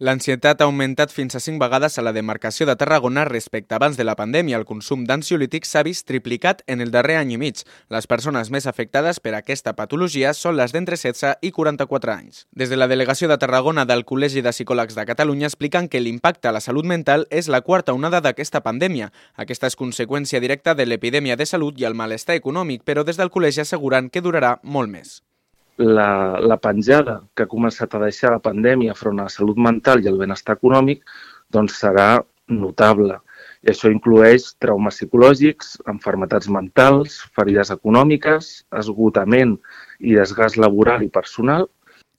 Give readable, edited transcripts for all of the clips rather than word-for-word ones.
L'ansietat ha augmentat fins a 5 vegades a la demarcació de Tarragona respecte abans de la pandèmia. El consum d'ansiolítics s'ha vist triplicat en el darrer any i mig. Les persones més afectades per aquesta patologia són les d'entre 16 i 44 anys. Des de la delegació de Tarragona del Col·legi de Psicòlegs de Catalunya expliquen que l'impacte a la salut mental és la quarta onada d'aquesta pandèmia. Aquesta és conseqüència directa de l'epidèmia de salut i el malestar econòmic, però des del col·legi asseguren que durarà molt més. La penjada que ha començat a deixar la pandèmia front a la salut mental i el benestar econòmic doncs serà notable. I això inclueix traumes psicològics, malalties mentals, ferides econòmiques, esgotament i desgast laboral i personal.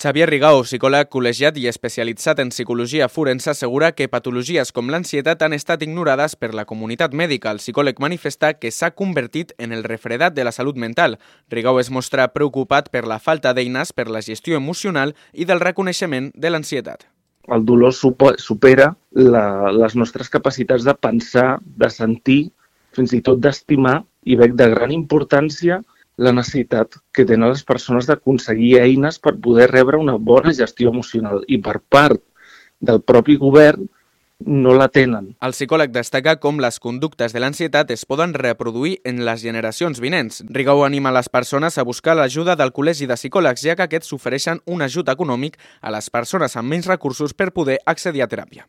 Xavier Rigau, psicòleg col·legiat i especialitzat en psicologia forense, assegura que patologies com l'ansietat han estat ignorades per la comunitat mèdica. El psicòleg manifesta que s'ha convertit en el refredat de la salut mental. Rigau es mostra preocupat per la falta d'eines per la gestió emocional i del reconeixement de l'ansietat. El dolor supera les nostres capacitats de pensar, de sentir, fins i tot d'estimar, i veig de gran importància la necessitat que tenen les persones d'aconseguir eines per poder rebre una bona gestió emocional i per part del propi govern no la tenen. El psicòleg destaca com les conductes de l'ansietat es poden reproduir en les generacions vinents. Rigau anima les persones a buscar l'ajuda del Col·legi de Psicòlegs, ja que aquests ofereixen un ajut econòmic a les persones amb menys recursos per poder accedir a teràpia.